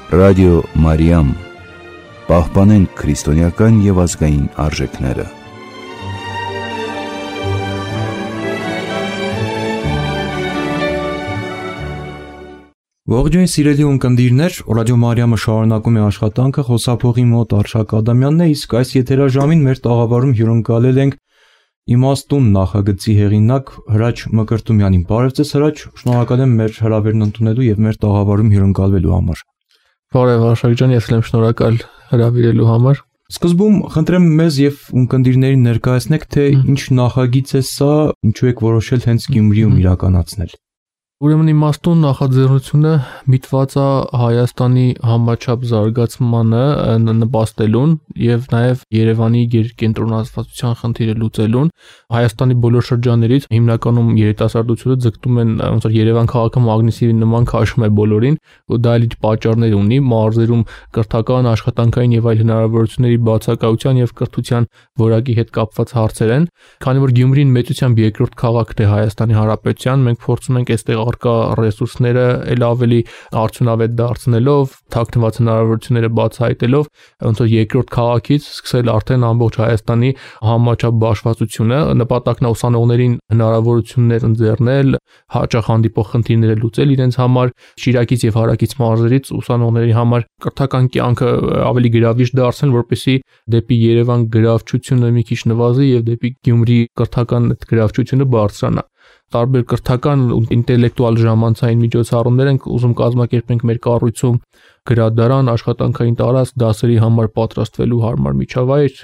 Ռադիո Մարիամ, պահպանենք քրիստոնեական և ազգային արժեքները։ Ողջույն սիրելի ունկնդիրներ, Ռադիո Մարիամը շարունակում է աշխատանքը, խոսափողի մոտ Արշակ Ադամյանն է, իսկ այս եթերաժամին մեր տաղավարում հյուրընկալել ենք Իմաստուն նախագծի հեղինակ Հրաչ Մկրտումյանին։ Բարև ձեզ Հրաչ, շնորհակալ եմ մեր հրավերն ընդունելու եւ մեր տաղավարում հյուրընկալվելու համար։ Բարև Արշակ ջան, ես եմ շնորհակալ հրավիրելու համար։ Սկզբում խնդրեմ մեզ եւ ունկնդիրներին ներկայացնեք, թե ինչ նախագիծ է սա, ինչու եք որոշել հենց Գյումրիում իրականացնել։ Ուրեմն Իմաստուն նախաձեռնությունը միտված է Հայաստանի համաչափ զարգացմանը նպաստելուն եւ նաեւ Երևանի կենտրոնացվածության խնդիրը լուծելուն։ Հայաստանի բոլոր շրջաններից հիմնականում երիտասարդությունը ձգտում են, ոնց որ Երևան քաղաքը մագնիսի նման քաշում է բոլորին, ու դա իր պատճառներ ունի, մարզերում կրթական, աշխատանքային եւ այլ հնարավորությունների բացակայության եւ կրթության որակի հետ կապված հարցեր են։ Քանի որ Գյումրին մեծությամբ երկրորդ քաղաքն է Հայաստանի Հանրապետության, մենք փորձում ենք այստեղ առկա ռեսուրսները ել ավելի արդյունավետ դարձնելով, թաքնված հնարավորությունները բացահայտելով, ոնց որ երկրորդ քաղաքից սկսել արդեն ամբողջ Հայաստանի համաչափ բաշխվածությունը, նպատակն է ուսանողներին հնարավորություններ ընձեռնել, հաճախ հանդիպող խնդիրները լուծել իրենց համար, Շիրակից եւ Հարակից մարզերից ուսանողների համար կրթական կյանքը ավելի գրավիչ դարձնել, որպեսզի դեպի Երևան գրավչությունը մի քիչ նվազի եւ դեպի Գյումրի կրթական գրավչությունը բարձրանա։ Տարբեր կրթական ու ինտելեկտուալ ժամանցային միջոցառումներ ենք ուզում կազմակերպենք մեր կառույցում, գրադարան, աշխատանքային տարածք, դասերի համար պատրաստվելու հարմար միջավայր,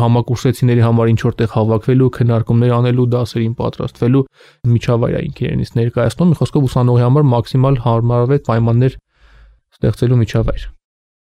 համակուրսեցիների համար ինչ որտեղ հավաքվելու, քննարկումներ անելու, դասերին պատրաստվելու միջավայր է ինքերենից ներկայացնում, մի խոսքով ուսանողի համար մաքսիմալ հարմարավետ պայմաններ ստեղծելու միջավայր։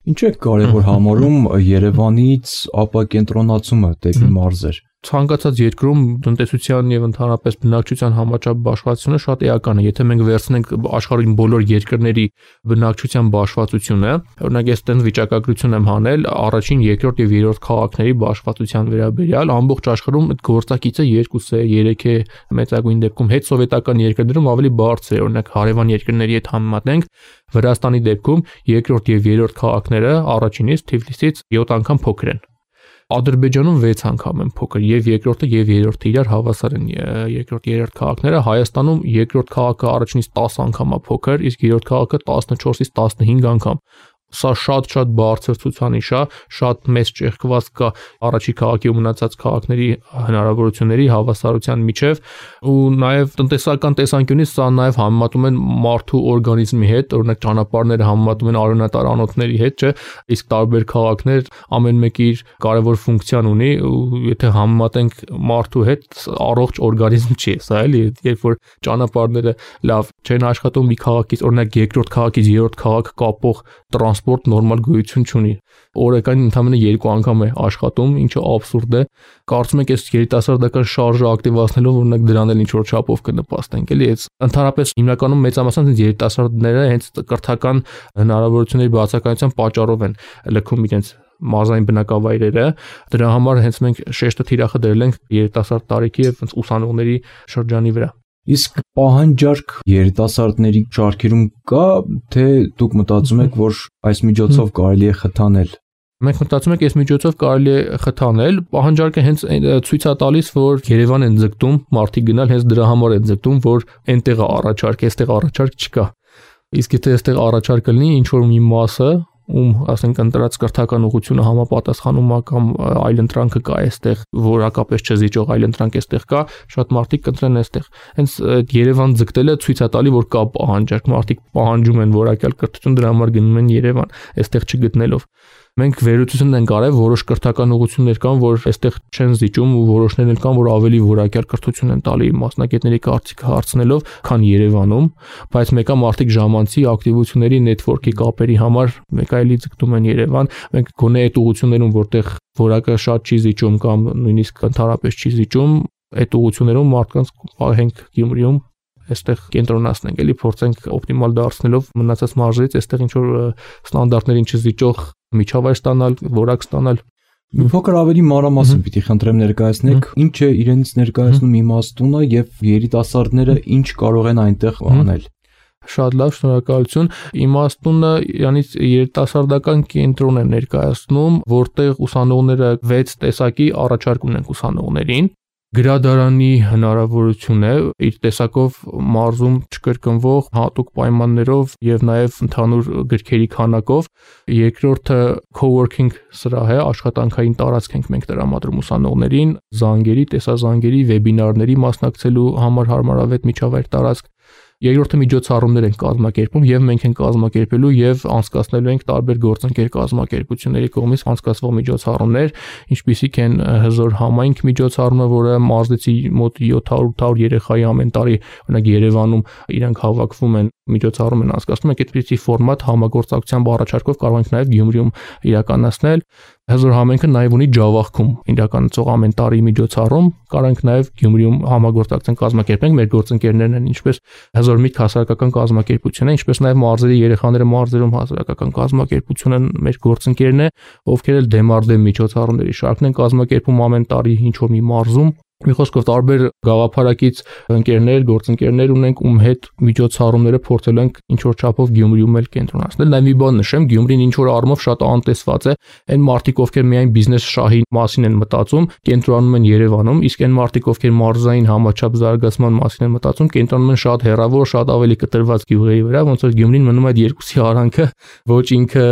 Ինչ է կարևոր համարում Երևանից ապակենտրոնացումը դեպի մարզեր։ Ցանկացած երկրում տնտեսության եւ ընդհանրապես բնակչության համաչափ բաշխվածությունը շատ էական է։ Եթե մենք վերցնենք աշխարհի բոլոր երկրների բնակչության բաշխվածությունը, օրինակ ես տենց վիճակագրություն եմ հանել առաջին, երկրորդ եւ երրորդ քաղաքների բաշխվածության վերաբերյալ, ամբողջ աշխարհում այդ գործակիցը 2 է, 3 է, մեծագույն դեպքում հետսովետական երկրներում ավելի բարձր է, օրինակ հարևան երկրների հետ համեմատենք, Վրաստանի դեպքում երկրորդ եւ երրորդ քաղաքները առաջինից Թիֆլիսից 7 անգամ փոքր են։ Ադրբեջանում 6 անգամ են փոքր, եւ երկրորդը եւ երրորդը իրար հավասար են երկրորդ երրորդ քաղաքները, Հայաստանում երկրորդ քաղաքը առաջինից 10 անգամ է փոքր, իսկ երրորդ քաղաքը 14-ից 15 անգամ։ Սա շատ բարձր ցուցանիշ է, շատ մեծ ճեղքված կա առաջի քաղաքի ու մնացած քաղաքների հնարավորությունների հավասարության միջև, ու նաև տնտեսական տեսանկյունից սա նաև համեմատում են մարդու օրգանիզմի հետ, օրինակ ճանապարհները համեմատում են արյունատար անոթների հետ, չէ, իսկ տարբեր քաղաքներ ամեն մեկը իր կարևոր ֆունկցիան ունի, ու եթե համեմատենք մարդու հետ, առողջ օրգանիզմ չի, սա էլի, երբ որ ճանապարհները լավ չեն աշխատում, մի քաղաքից, օրինակ երկրորդ քաղաքից երրորդ քաղաք կապող տրանսպորտ նորմալ գոյություն չունի։ Օրական ընդամենը 2 անգամ է աշխատում, ինչը աբսուրդ է։ Կարծում եք, այս երիտասարդական շարժը ակտիվացնելով օրինակ դրան էլ ինչ-որ չափով կնպաստենք, էլի, այս ընդհանրապես հիմնականում մեծամասամբ երիտասարդները հենց կրթական հնարավորությունների բացակայության պատճառով են լքում իրենց մարզային բնակավայրերը, դրա համար հենց մենք շեշտը թիրախը դրել ենք երիտասարդ տարիքի եւ ուսանողների շրջանի վրա։ Իսկ պահանջարկ երիտասարդների շարքերում կա, թե դուք մտածում եք, որ այս միջոցով կարելի է խթանել։ Մենք մտածում ենք, այս միջոցով կարելի է խթանել, պահանջարկը հենց ցույց է տալիս, որ Երևան են ձգտում մարդիկ գնալ, հենց դրա համար են ձգտում, որ այնտեղ է առաջարկ, այստեղ առաջարկ չկա։ Իսկ եթե այստեղ առաջարկը լինի, ինչ որ մի մասը, ում ասենք ընտրած կրթական ուղղությունը համապատասխանում է կամ այլ ընտրանքը կա այստեղ, որակապես չզիջող այլ ընտրանք այստեղ կա, շատ մարդիկ կընտրեն այստեղ։ Հենց Երևան ձգտելը ցույց է տալի, որ կա պահանջարկ, մարդիկ պահանջում են որակյալ կրթություն, դրա համար գնում են Երևան, այստեղ չգտնելով։ Մենք վերլուծություն ենք արել, որոշ կրթական ուղղություններ կան, որ այստեղ չեն զիջում, ու որոշներն էլ կան, որ ավելի որակյալ կրթություն են տալի մասնագետների կարծիքը հարցնելով, քան Երևանում, բայց մեկը մարդիկ ժամանցի ակտիվությունների նետվորքի կապերի համար մեկ այլի ձգտում են Երևան։ Մենք գոնե այդ ուղղություններում, որտեղ որակը շատ չի զիջում կամ նույնիսկ ընդհանրապես չի զիջում, այդ ուղղություններում մարդկանց պահենք Գյումրիում այստեղ կենտրոնացնենք, էլի փորձենք օպտիմալ դարձնելով մնացած մարզերից այստեղ ինչ որ ստանդարտներին չզիջող միջավայր ստանալ, որակ ստանալ։ Մի փոքր ավելի մանրամասն պիտի խնդրեմ ներկայացնեք, ինչ է իրենից ներկայացնում Իմաստունը եւ երիտասարդները ինչ կարող են այնտեղ անել։ Շատ լավ, շնորհակալություն։ Իմաստունը իրանից երիտասարդական կենտրոն է ներկայացնում, որտեղ ուսանողները 6 տեսակի առաջարկ ունեն ուսանողներին։ Գրադարանի հնարավորություն է իր տեսակով մարզում չկրկնվող հատուկ պայմաններով եւ նաեւ ընդհանուր գրքերի քանակով։ Երկրորդը co-working սրահ է, աշխատանքային տարածք ենք մենք տրամադրում ուսանողներին, զանգերի, տեսազանգերի, վեբինարների մասնակցելու համար հարմարավետ միջավայր տարածք։ Երկրորդը միջոցառումներ են կազմակերպում եւ մենք ենք կազմակերպելու եւ անցկացնելու ենք տարբեր գործընկեր կազմակերպությունների կողմից անցկացվող միջոցառումներ, ինչպիսիք են հզոր համայնք միջոցառումը, որը մարզեցի մոտ 700 երեխայի ամեն տարի, օրինակ Երևանում իրանք հավաքվում են, միջոցառում են անցկացնում, մենք այդպիսի ֆորմատ համագործակցությամբ առաջարկով կարող ենք նաեւ Գյումրիում իրականացնել։ Հզոր համայնքը նաև ունի Ջավախքում իրականացող ամեն տարի միջոցառում, կարող ենք նաև Գյումրիում համագործակցենք կազմակերպենք, մեր գործընկերներն են, ինչպես Հզոր միտք հասարակական կազմակերպություն է, ինչպես նաև մարզերի երեխաները մարզերում հասարակական կազմակերպություն են մեր գործընկերն է, ովքեր էլ դեմարդեմ միջոցառումների շարքն են կազմակերպում ամեն տարի ինչ որ մի մարզում։ Մի խոսքով տարբեր գաղափարակից ընկերներ, գործընկերներ ունենք, ում հետ միջոցառումները փորձել ենք ինչ որ չափով Գյումրիում էլ կենտրոնացնել։ Նաև մի բան նշեմ, Գյումրին ինչ որ առումով շատ անտեսված է, այն մարդիկ, ովքեր միայն բիզնես շահի մասին են մտածում, կենտրոնանում են Երևանում, իսկ այն մարդիկ, ովքեր մարզային համաչափ զարգացման մասին են մտածում, կենտրոնանում են շատ հեռավոր, շատ ավելի կտրված գյուղերի վրա, ոնց որ Գյումրին մնում է այդ երկուսի արանքը, ոչ ինքը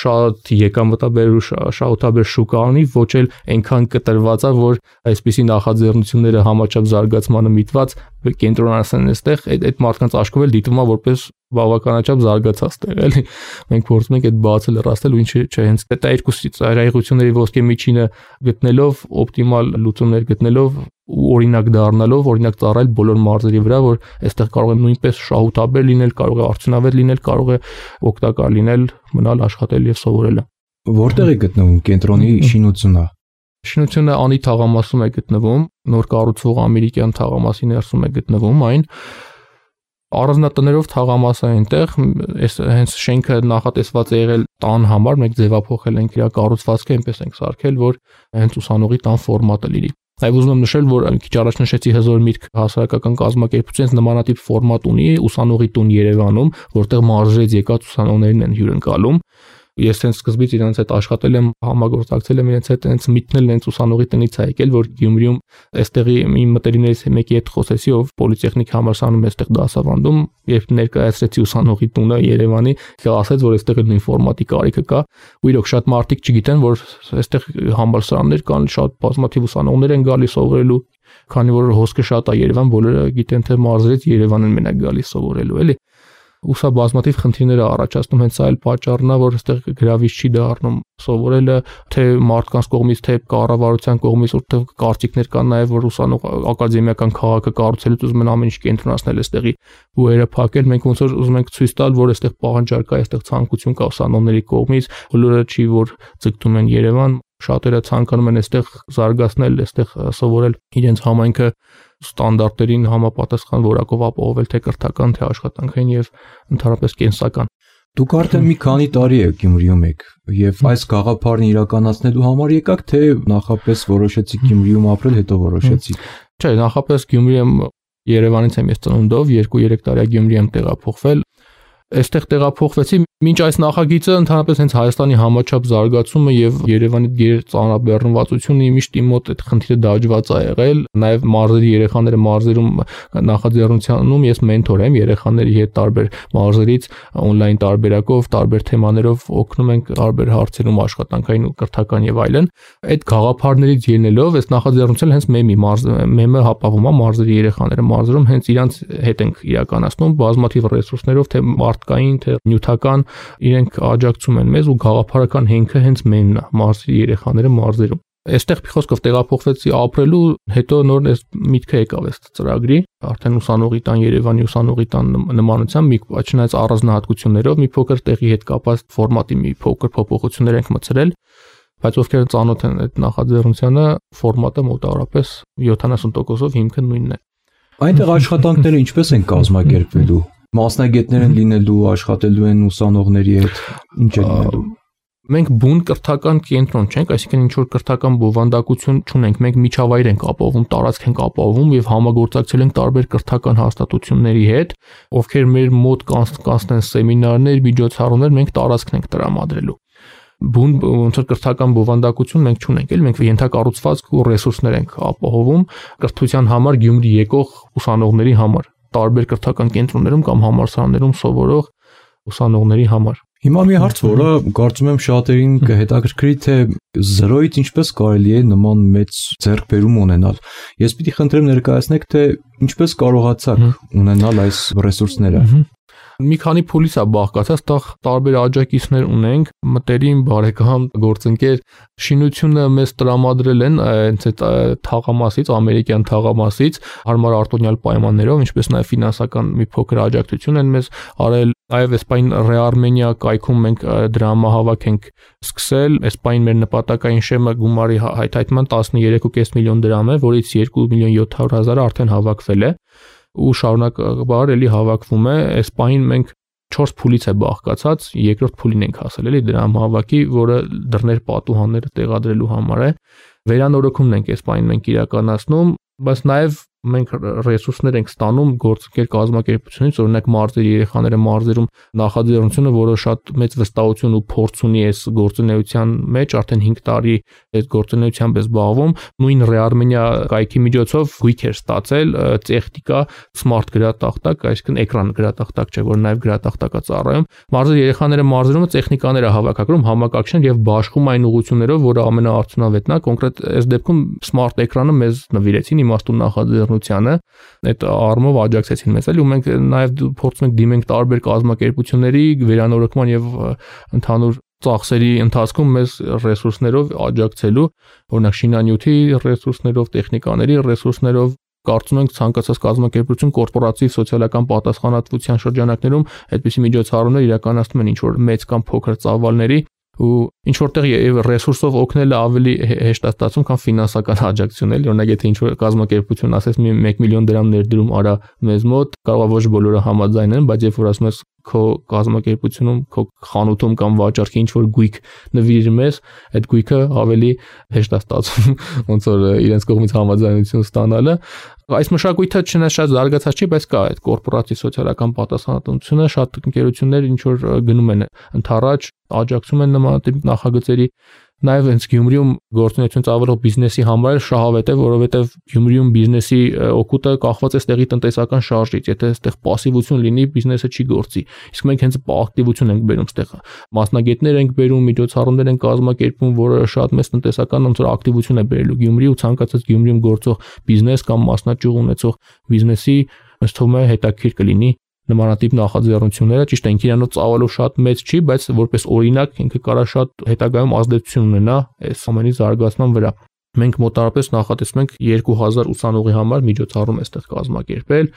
շատ եկամտաբեր ու շահութաբեր շուկա ունի, ոչ էլ այնքան կտրված է, որ այսպիսի նախաձեռնությունները համաչափ զարգացմանը միտված կենտրոնացան այստեղ, այդ մարդկանց աշխով էլ դիտվում է որպես բավականաչափ զարգացած տեղ, էլի։ Մենք փորձում ենք այդ բացը լրացնել ու ինչի՞ չէ, հենց այդ երկուսի ծայրահեղությունների ոսկե միջինը գտնելով, օպտիմալ լուծումներ գտնելով ու օրինակ դառնալով, օրինակ ծառայել բոլոր մարզերի վրա, որ այստեղ կարող է նույնպես շահութաբեր լինել, կարող է արդյունավետ լինել, կարող է օգտակար լինել, մնալ, աշխատել եւ սովորել։ Որտեղ է գտնվում կենտրոնի շինությունը։ Շինությունը Անի թաղամասում է գտնվում, նոր կառուցվող ամերիկյան թաղամասի ներսում է գտնվում այն։ Առանձնատներով թաղամաս է այնտեղ, հենց շենքը նախատեսված է եղել տան համար, մենք ձևափոխել ենք իր կառուցվածքը, այնպես ենք սարքել, որ հենց ուսանողի տան ֆորմատը լինի։ Այո, ուզում եմ նշել, որ քիչ առաջ նշեցի Հզոր միտք հասարակական կազմակերպությունից նմանատիպ ֆորմատ ունի ուսանողի տուն Երևանում, որտեղ մարզերից եկած ուսանողներին են հյուրընկալում։ Ես հենց սկզբից իրենց հետ աշխատել եմ, համագործակցել եմ իրենց հետ, հենց միտնել հենց ուսանողի տնից է եկել, որ Գյումրիում այստեղի իմ մտերիմներից մեկի հետ խոսեցի, ով պոլիտեխնիկ համալսարանում այստեղ դասավանդում, երբ ներկայացրեցի ուսանողի տունը Երևանի, ասաց, որ այստեղ նույն ֆորմատի կարիքը կա, ու իրոք շատ մարդիկ չգիտեն, որ այստեղ համալսարաններ կան, շատ բազմաթիվ ուսանողներ են գալիս սովորելու, քանի որ հոսքը շատ է Երևան, բոլորը գիտեն, թե մարզերից Երևան են մենակ գալիս սովորելու, էլի։ Ու սա բազմաթիվ խնդիրներ է առաջացնում, հենց այլ պատճառն է, որ այստեղ գրավիչ չի դառնում սովորելը, թե մարդկանց կողմից, թե կառավարության կողմից, որտեղ կարծիքներ կան նաև, որ ուսանող ակադեմիական քաղաքը կառուցելուց ուզում են ամեն ինչ կենտրոնացնել այստեղի բուհերը փակել, մենք ոնց որ ուզում ենք ցույց տալ, որ այստեղ պահանջարկ կա, այստեղ ցանկություն կա ուսանողների կողմից, բոլորը չի որ ձգտում են Երևան, շատերը ցանկանում են այստեղ զարգացնել, այստեղ սովորել իրենց համայնքը ստանդարտներին համապատասխան որակով ապահովել թե կրթական, թե աշխատանքային եւ ընդհանրապես կենսական։ Դուք արդեն մի քանի տարի եք Գյումրիում եք եւ այս գաղափարն իրականացնելու համար եկաք, թե նախապես որոշեցիք Գյումրիում ապրել, հետո որոշեցիք։ Չէ, նախապես Գյումրիում Երևանից եմ ես ծնունդով, 2-3 տարի Գյումրի եմ տեղափոխվել։ Այստեղ տեղափոխվեցի, մինչ այս նախագիծը ընդհանրապես հենց Հայաստանի համաչափ զարգացումը եւ Երևանի ծանրաբեռնվածությունը միշտ իմ մոտ այդ խնդիրը դաջված է եղել, նաեւ մարզերի երեխաները մարզերում նախաձեռնությունում ես մենթոր եմ երեխաների հետ տարբեր մարզերից on-line տարբերակով, տարբեր թեմաներով օգնում ենք տարբեր հարցերում աշխատանքային ու կրթական եւ այլն։ Այդ գաղափարներից ելնելով այս նախաձեռնությունը հենց մեմը հապավում է մարզերի երեխաները մարզերում հենց իրանց հետ ենք իրականացնում բազմաթիվ ռեսուրսներով, թե մարդկային, թե նյութական, իրենք աջակցում են մեզ ու գաղափարական հենքը հենց մենն է, մարզերի երեխաները մարզերում։ Այստեղ փոխոսկով տեղափոխվեցի ապրելու, հետո նոր այս միտքը եկավ այս ծրագրի, արդեն ուսանողի տան Երևանի ուսանողի տան նմանությամբ մի չնայած առանձնահատկություններով մի փոքր տեղի հետ կապված ֆորմատի մի փոքր փոփոխություններ ենք մտցրել, բայց ովքեր ծանոթ են այդ նախաձեռնությանը, ֆորմատը մոտավորապես 70%-ով հիմքը նույնն է։ Այնտեղ աշխատանքները ինչպես են կազմակերպվելու։ Մասնագետներ են լինելու, աշխատելու են ուսանողների հետ, ինչ է լինելու։ Մենք բուն կրթական կենտրոն չենք, այսինքն ինչ որ կրթական բովանդակություն չունենք, մենք միջավայր ենք ապահովում, տարածք ենք ապահովում եւ համագործակցել ենք տարբեր կրթական հաստատությունների հետ, ովքեր մեր մոտ կանցնեն սեմինարներ, միջոցառումներ, մենք տարածքն ենք տրամադրելու։ Բուն ոնց որ կրթական բովանդակություն մենք չունենք, էլ մենք ենթակառուցվածք ու ռեսուրսներ ենք ապահովում կրթության համար Գյումրի եկող ուսանողների համար, տարբեր կրթական կենտրոններում կամ համալսարաններում սովորող ուսանողների համար։ Հիմա մի հարց, որը կարծում եմ շատերին կհետաքրքրի, թե 0-ից ինչպես կարելի է նման մեծ ձեռքբերում ունենալ։ Ես պիտի խնդրեմ ներկայացնեք, թե ինչպես կարողացաք ունենալ այս ռեսուրսները։ Մի քանի փուլից է բաղկացած, տարբեր աջակիցներ ունենք, մտերիմ, բարեկամ, գործընկեր, շինությունը մեզ տրամադրել են հենց այդ թաղամասից, ամերիկյան թաղամասից, հարմար արտոնյալ պայմաններով, ինչպես նաև ֆինանսական մի փոքր աջակցություն են մեզ արել։ Այև Էսպայն Ռեարմենիա կայքում մենք դրամահավաք ենք սկսել, Էսպայն մեր նպատակային շեմը գումարի հայթայթման 13.5 միլիոն դրամ է, որից 2.700.000 արդեն հավաքվել է ու շարունակաբար էլի հավաքվում է։ Էսպայն մենք 4 փուլից է բաղկացած, երկրորդ փուլին ենք հասել էլի դրամահավաքի, որը դռներ պատուհանները տեղադրելու համար է։ Վերանորոգումն ենք Էսպայն մենք իրականացնում, բայց նաև մենք ռեսուրսներ ենք ստանում գործընկեր կազմակերպությունից, օրինակ մարզերի երեխաները մարզերում նախաձեռնությունը, որը շատ մեծ վստահություն ու փորձ ունի այս գործունեության մեջ, արդեն 5 տարի այս գործունեությամբ է զբաղվում, նույն Ռեարմենիա կայքի միջոցով գույք էր ստացել, տեխնիկա, սմարթ գրատախտակ, այսինքն էկրան գրատախտակ չէ, որ նաև գրատախտակա ծառայում։ Մարզերի երեխաները մարզերում տեխնիկաներ է հավաքագրում, համակարգչներ եւ բաշխում այն ուղղություններով, որը ամենաարդյունավետն է, կոնկրետ այս դեպքում սմարթ էկրանը մեզ նվիրեցին իմաստուն նախաձեռնությանը, այդ առումով աջակցեցին մեզ, ու մենք նաև փորձում ենք դիմենք տարբեր կազմակերպությունների վերանորոգման եւ ընդհանուր ծախսերի ընթացքում մեզ ռեսուրսներով աջակցելու, օրինակ շինանյութի ռեսուրսներով, տեխնիկաների ռեսուրսներով, կարծում ենք ցանկացած կազմակերպություն կորպորատիվ սոցիալական պատասխանատվության շրջանակներում այդպիսի միջոցառումներ իրականացնում են ինչ որ մեծ կամ փոքր ծավալների ու ինչ որտեղ եւ ռեսուրսով օգնելը ավելի հեշտ է ստացվում, քան ֆինանսական աջակցություն էլ, օրինակ եթե ինչ որ կազմակերպություն ասես 1 միլիոն դրամ ներդրում արա մեզ մոտ, կարող է ոչ բոլորը համաձայնեն, բայց երբ որ ասում ես քո կազմակերպությունում, քո խանութում կամ վաճառքի ինչ որ գույք նվիրիր մեզ, այդ գույքը ավելի հեշտ է ստացվում, ոնց որ իրենց կողմից համաձայնություն ստանալը։ Այս մշակույթը չնայած շատ զարգացած չի, բայց կա այդ կորպորատիվ սոցիալական պատասխանատվությունը, շատ ընկերություններ ինչ որ գնում են ընդառաջ, աջակցում են նմանատիպ նախագծերի, նաև հենց Գյումրիում գործունեություն ծավալող բիզնեսի համար շահավետ է, որովհետև Գյումրիում բիզնեսի օգուտը կախված է ստեղի տնտեսական շարժից, եթե այստեղ պասիվություն լինի, բիզնեսը չի գործի։ Իսկ մենք հենց ակտիվություն ենք բերում այստեղ, մասնագետներ ենք բերում, միջոցառումներ ենք կազմակերպում, որը շատ մեծ տնտեսական ոնց որ ակտիվություն է բերելու Գյումրի ու ցանկացած Գյումրիում գործող բիզնես կամ մասնաճյուղ ունեցող բիզնեսի ըստ թվում է հետաքրքիր կլինի նմանատիպ նախաձեռնությունները, ճիշտ է, ինքն իրանով ծավալով շատ մեծ չի, բայց որպես օրինակ ինքը կարա շատ հետագայում ազդեցություն ունենա այս ամենի զարգացման վրա։ Մենք մոտարապես նախատեսում ենք 2000 ուսանողի համար միջոցառում այստեղ կազմակերպել,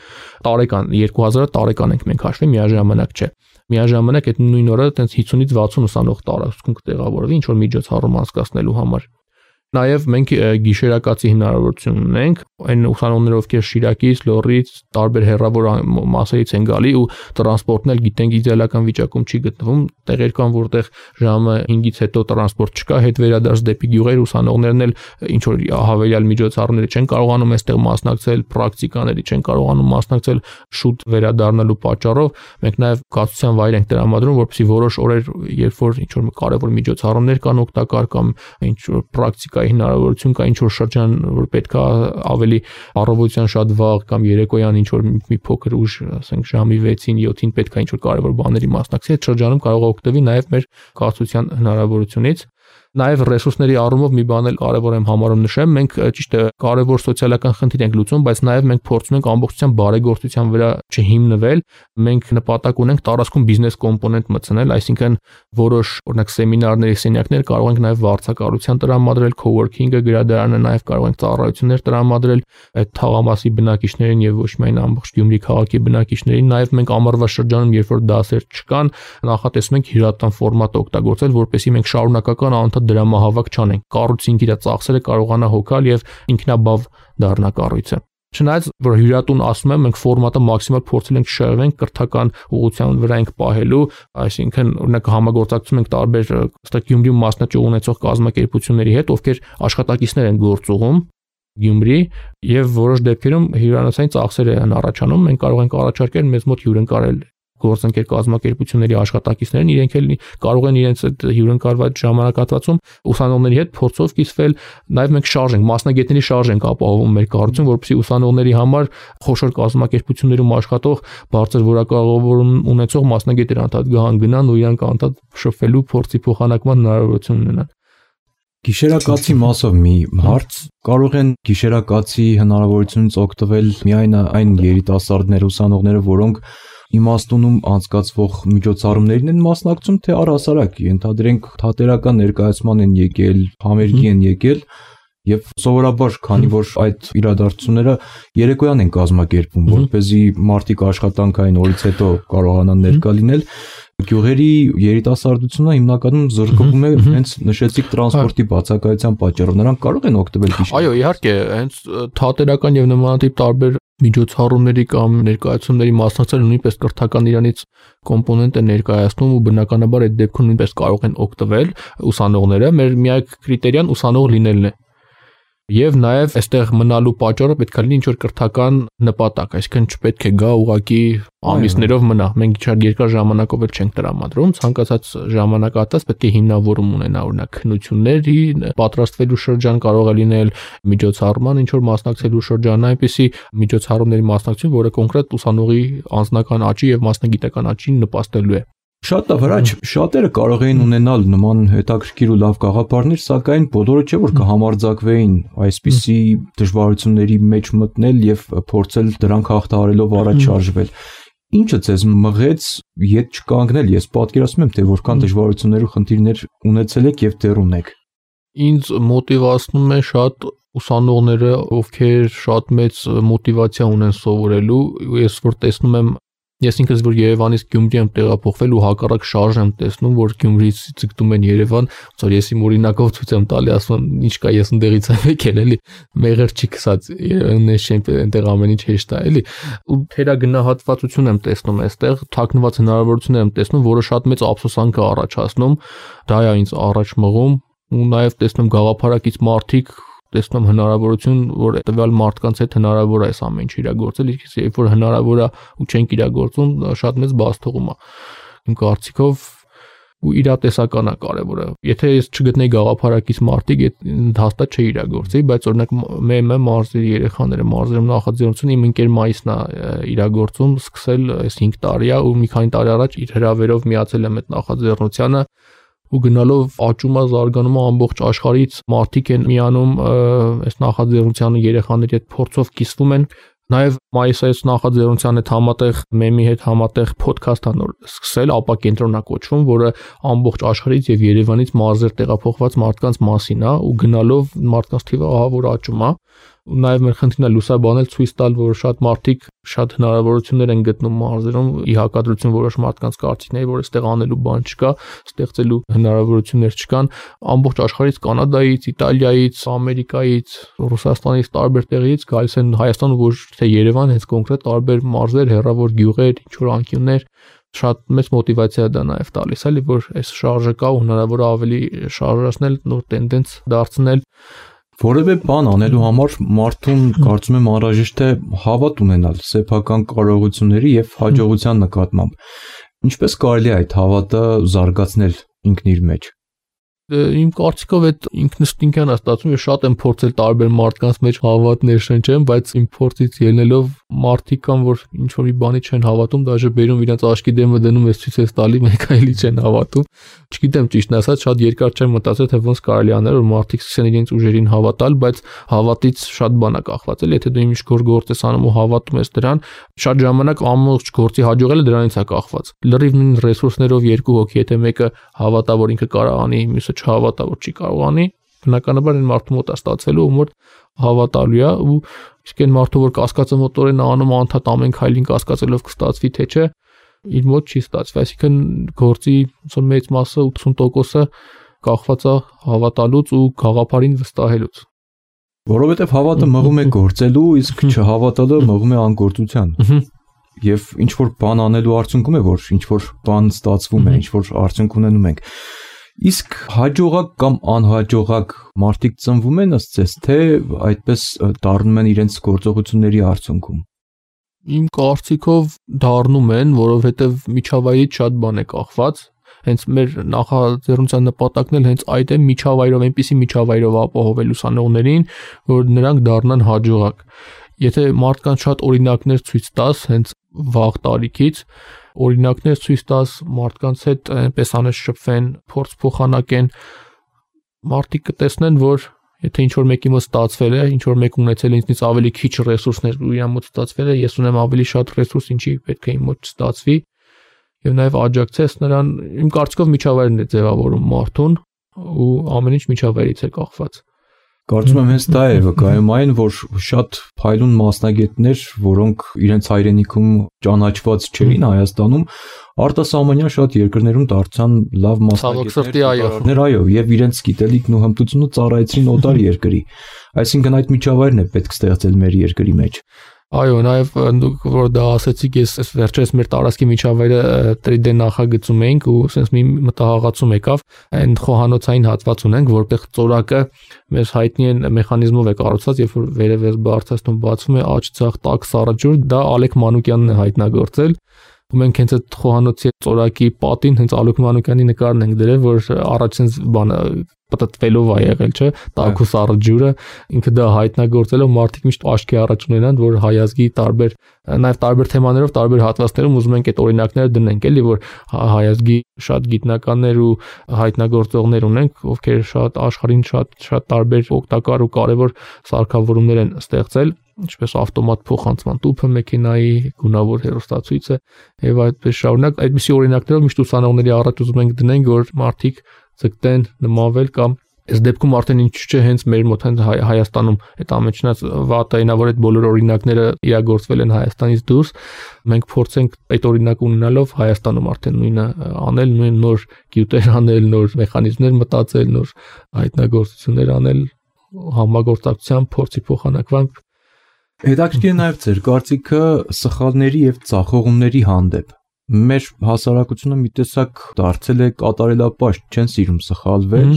տարեկան 2000-ը տարեկան ենք մենք հաշվի, միաժամանակ չէ։ Միաժամանակ այդ նույն օրը այտենց 50-ից 60 ուսանող տարածքում կտեղավորվի ինչ որ միջոցառում անցկացնելու համար։ Նաև մենք գիշերակացի հնարավորություն ունենք, այն ուսանողները, ովքեր Շիրակից, Լոռից, տարբեր հեռավոր մասերից են գալի ու տրանսպորտն էլ գիտենք իդեալական վիճակում չի գտնվում, տեղեր կան, որտեղ ժամը 5-ից հետո տրանսպորտ չկա, հետ վերադարձ դեպի գյուղեր, ուսանողներն էլ ինչ որ հավելյալ միջոցառումների չեն կարողանում այստեղ մասնակցել, պրակտիկաների չեն կարողանում մասնակցել շուտ վերադառնալու պատճառով, մենք նաև կացության վայր ենք տրամադրում, որպեսզի որոշ օրեր, երբ որ ինչ որ կարևոր միջոցառումներ կան օգտակար կամ ինչ որ պրակտիկայի հնարավորություն կա, ինչ որ շրջան, որ պետքա ավելի առավոտյան շատ վաղ կամ երեկոյան ինչ որ մի փոքր ուշ, ասենք ժամի 6-ին, 7-ին պետքա ինչ որ կարևոր բաների մասնակցի, այդ շրջանում կարող է օգտվի նաև մեր կացության հնարավորությունից։ Նաև ռեսուրսների առումով մի բան էլ կարևոր եմ համարում նշեմ, մենք ճիշտ է կարևոր սոցիալական խնդիր ենք լուծում, բայց նաև մենք փորձում ենք ամբողջությամբ բարեգործության վրա չհիմնվել, մենք նպատակ ունենք տարածքում բիզնես կոմպոնենտ մտցնել, այսինքն որոշ օրինակ սեմինարների սենյակներ կարող ենք նաև վարձակալության տրամադրել, coworking-ը գրադարանը նաև կարող ենք ծառայություններ տրամադրել այդ թաղամասի բնակիչներին եւ ոչ միայն ամբողջ Գյումրի քաղաքի բնակիչներին, նաև մենք ամառվա շրջանում, երբ որ դասեր չկան, նախատեսում ենք հյուրատան ֆորմատ օգտագործել, որպեսզի մենք շարունակական դրամահավաք չանենք, կառույցին իր ծախսերը կարողանա հոգալ եւ ինքնաբավ դառնա կառույցը։ Չնայած որ հյուրատուն ասում եմ, մենք ֆորմատը մաքսիմալ փորձել ենք շահել կրթական ուղղության վրա ենք պահելու, այսինքն օրինակ համագործակցում ենք տարբեր ըստ Գյումրիում մասնաճյուղ ունեցող կազմակերպությունների հետ, ովքեր աշխատակիցներ են գործուղում Գյումրի եւ որոշ դեպքերում հյուրանոցային ծախսեր են առաջանում, մենք կարող ենք առաջարկել մեզ մոտ հյուրընկալել գործընկեր կազմակերպությունների աշխատակիցներն իրենք էլ կարող են իրենց այդ հյուրընկալված ժամանակահատվածում ուսանողների հետ փորձով կիսվել, նաև մենք շարժ ենք, մասնագետների շարժ ենք ապահովում մեր կառույցում, որպեսզի ուսանողների համար խոշոր կազմակերպություններում աշխատող բարձր որակավորում ունեցող մասնագետներ անդադ գնան ու իրանք անդադ շփվելու փորձի փոխանակման հնարավորություն ունենան։ Գիշերակացի մասով մի հարց, կարող են գիշերակացի հնարավորությունից օգտվել միայն այն երիտասարդները, ուսանողները, որոնք իմաստունում անցկացվող միջոցառումներին են մասնակցում, թե առհասարակ ենթադրենք թատերական ներկայացման են եկել, համերգի են եկել եւ սովորաբար քանի որ այդ իրադարձությունները երեկոյան են կազմակերպվում, որպեսզի մարդիկ աշխատանքային օրից հետո կարողանան ներկա լինել, գյուղերի երիտասարդությունը հիմնականում զրկվում է հենց նշեցիք տրանսպորտի բացակայության պատճառով, նրանք կարող են օգտվել գիշեր։ Այո, իհարկե, հենց թատերական եւ նմանատիպ տարբեր միջոցառումների կամ ներկայացումների մասնակցել նույնպես կրթական իրանից կոմպոնենտ է ներկայացնում ու բնականաբար այդ դեպքում նույնպես կարող են օգտվել ուսանողները, մեր միակ կրիտերիան ուսանող լինելն է։ Եվ նաև այստեղ մնալու պատճառը պետք է լինի ինչ-որ կրթական նպատակ, այսինքն չպետք է գա ուղակի ամիսներով մնա։ Մենք շատ երկար ժամանակով էլ չենք տրամադրում, ցանկացած ժամանակահատված պետք է հիմնավորում ունենա, օրինակ քննությունների պատրաստվելու շրջան կարող է լինել, միջոցառման ինչ-որ մասնակցելու շրջան, այնպիսի միջոցառումների մասնակցություն, որը կոնկրետ ուսանողի անձնական աճի եւ մասնագիտական աճին նպաստելու է։ Շատ լավ, շատերը կարող էին ունենալ նման հետաքրքիր ու լավ գաղափարներ, սակայն բոլորը չէ որ կհամարձակվեին այսպիսի դժվարությունների մեջ մտնել եւ փորձել դրանք հաղթահարելով առաջ շարժվել։ Ինչը ձեզ մղեց ետ չկանգնել, ես պատկերացնում եմ, թե որքան դժվարություններ ու խնդիրներ ունեցել եք եւ դեռ ունեք։ Ինձ մոտիվացնում է շատ ուսանողները, ովքեր շատ մեծ մոտիվացիա ունեն սովորելու, ես որ տեսնում եմ Ես ինքս որ Երևանից Գյումրի եմ տեղափոխվել ու հակառակ շարժ եմ տեսնում, որ Գյումրից ցկտում են Երևան, ոնց ես իմ օրինակով ցույց եմ տալի, ասում եմ, ինչ կա, ես ընդեղից եմ եկել, էլի, մեղր չի քսած, Երևանն է, այնտեղ ամեն ինչ հեշտ է, էլի, ու թերագնահատվածություն եմ տեսնում այստեղ, թաքնված հնարավորություններ եմ տեսնում, որը շատ մեծ ափսոսանք է առաջացնում, դա է ինձ առաջ մղում, ու նաև տեսնում գաղափարակից մարդիկ տեսնում հնարավորություն, որ տվյալ մարդկանց հետ հնարավոր է այս ամեն ինչ իրագործել, իսկ երբ որ հնարավոր է ու չենք իրագործում, շատ մեծ բացթողում է։ Իմ կարծիքով ու իրատեսական է կարևորը։ Եթե ես չգտնեի գաղափարակից մարդիկ, հաստատ չէի իրագործի, բայց օրինակ ՄՄ մարզերի երեխաները, մարզերում նախաձեռնությունը իմ ընկեր Մայիսն է իրագործում, սկսել այս 5 տարի է ու մի քանի տարի առաջ իր հրավերով միացել եմ այդ նախաձեռնությանը ու գնալով աճում է զարգանում է ամբողջ աշխարհից մարդիկ են միանում այս նախաձեռնությանը երեխաների հետ փորձով կիսվում են նաև մայիսայից նախաձեռնության հետ համատեղ մեմի հետ համատեղ ոդքասթ անոր սկսել ապա կենտրոնա կոչվում որը ամբողջ աշխարհից եւ Երևանից մարզեր տեղափոխված մարդկանց մասին է ու գնալով մարդկանց թիվը ահա որ աճում է ու նաև մեր խնդիրն է լուսաբանել ցույց տալ որ շատ մարդիկ շատ հնարավորություններ են գտնում մարզերում ի հակադրություն որոշ մարդկանց կարծիքների որ այստեղ անելու բան չկա ստեղծելու հնարավորություններ չկան ամբողջ աշխարհից կանադայից իտալիայից ամերիկայից ռուսաստանից տարբեր տեղից գալիս են Հայաստան ոչ թե Երևան հենց կոնկրետ տարբեր մարզեր հեռավոր գյուղեր ինչ որ անկյուններ շատ մեծ մոտիվացիա դա նաև տալիս էլի որ այս շարժը կա ու հնարավոր է ավելի շարժացնել նոր տենդենս դարձնել Որևէ բան անելու համար մարդուն կարծում եմ անհրաժեշտ է հավատ ունենալ սեփական կարողությունների եւ հաջողության նկատմամբ։ Ինչպես կարելի է այդ հավատը զարգացնել ինքն իր մեջ։ Իմ կարծիքով այդ ինքնըստինքյան ստացվում է շատ եմ փորձել տարբեր մարդկանց մեջ հավատներ շնչեմ, բայց իմ փորձից ելնելով մարդիկ կան, որ ինչ որ մի բանի չեն հավատում, դաժե բերում իրենց աչքի դեմը դնում ես ցույց ես տալի, մեկ այլի չեն հավատում։ Չգիտեմ ճիշտն ասած, շատ երկար չեմ մտածել, թե ոնց կարելի անել, որ մարդիկ սկսեն իրենց ուժերին հավատալ, բայց հավատից շատ բան է կախված, էլ եթե դու ինչ գործ ես անում ու հավատում ես դրան, շատ ժամանակ ամբողջ գործի հաջողելը դրանից է կախված։ Լրիվ նույն ռեսուրսներով երկու հոգի, եթե մեկը հավատա, որ ինքը կարող անի, մյուսը չհավատա, որ չի կարող անի, բնականաբար այն մարդու մոտ է ստացվելու, ում որ հավատալու է ու իսկ այն մարդու որ կասկածը մոտորեն անում անդադ ամեն քայլին կասկածելով կստացվի թե չէ, իր մոտ չի ստացվի, այսինքն գործի մեծ մասը 80%-ը կախված է հավատալուց ու գաղափարին վստահելուց։ Որովհետև հավատը մղում է գործելու, իսկ չհավատալը մղում է անգործության։ Եվ ինչ որ բան անելու արդյունքում է, որ ինչ որ բան ստացվում է, ինչ որ արդյունք ունենում ենք։ Իսկ հաջողակ կամ անհաջողակ մարդիկ ծնվում են ըստ ձեզ, թե այդպես դառնում են իրենց գործողությունների արդյունքում։ Իմ կարծիքով դառնում են, որովհետև միջավայրից շատ բան է կախված։ Հենց մեր նախաձեռնության նպատակն էլ հենց այդ է, միջավայրով, այնպիսի միջավայրով ապահովել ուսանողներին, որ նրանք դառնան հաջողակ։ Եթե մարդկանց շատ օրինակներ ցույց տաս, հենց վաղ տարիքից օրինակներ ցույց տաս, մարդկանց հետ այնպես անես շփվեն, փորձ փոխանակեն, մարդիկ կտեսնեն, որ եթե ինչ որ մեկի մոտ ստացվել է, ինչ որ մեկ ունեցել է ինձնից ավելի քիչ ռեսուրսներ ու իր մոտ ստացվել է, ես ունեմ ավելի շատ ռեսուրս, ինչի պետք է իմ մոտ չստացվի, եւ նաեւ աջակցես նրան, իմ կարծիքով միջավայրն է ձևավորում մարդուն ու ամեն ինչ միջավայրից է կախված։ Կարծում եմ հենց դա է վկայում այն, որ շատ փայլուն մասնագետներ, որոնք իրենց հայրենիքում ճանաչված չէին Հայաստանում, արտասահմանյան շատ երկրներում դարձան լավ մասնագետներ, այո, եւ իրենց գիտելիքն ու հմտությունը ծառայեցին օտար երկրի։ Այսինքն այդ միջավայրն է պետք ստեղծել մեր երկրի մեջ։ Այո, նաև դուք որ դա ասացիք, ես վերջերս մեր տարածքի միջավայրը 3D նախագծում էինք ու sense մի մտահղացում եկավ, այն խոհանոցային հատված ունենք, որտեղ ծորակը մեր հայտնի են մեխանիզմով է կառուցված, երբ որ վերևից բարձրացնում բացվում է աջ ցախ տաք սառաջուր, դա Ալեք Մանուկյանն է հայտնագործել։ Ու մենք հենց այդ խոհանոցի ծորակի պատին հենց Ալեք Մանուկյանի նկարն ենք դրել, որ առաջին բանը պատտվելով է եղել, չէ, տաքու սառաջուրը, ինքը դա հայտնագործելով մարդիկ միշտ աչքի առաջ ունենան, որ հայազգի տարբեր, նաև տարբեր թեմաներով, տարբեր հատվածներում ուզում ենք այդ օրինակները դնենք, էլի, որ հայազգի շատ գիտնականներ ու հայտնագործողներ ունենք, ովքեր շատ աշխարհին շատ տարբեր օգտակար ու կարևոր սարքավորումներ են ստեղծել, ինչպես ավտոմատ փոխանցման տուփը մեքենայի, գունավոր հեռուստացույցը եւ այդպես շարունակ, այդպիսի օրինակներով միշտ ուսանողների առաջ ուզում ենք դնենք, որ մարդիկ ցկտեն նմանվել կամ այս դեպքում արդեն ինչ չէ հենց մեր մոտ հենց Հայաստանում այդ ամենից վատայինա որ այդ բոլոր օրինակները իրագործվել են Հայաստանից դուրս, մենք փորձենք այդ օրինակը ունենալով Հայաստանում արդեն նույնը անել, նույն նոր գյուտեր անել, նոր մեխանիզմներ մտածել, նոր հայտնագործություններ անել, համագործակցությամբ փորձի փոխանակվանք։ Հետաքրքիր է նաև ձեր կարծիքը սխալների եւ ծախողումների հանդեպ։ Մեր հասարակությունը մի տեսակ դարձել է կատարելապաշտ, չեն սիրում սխալվել։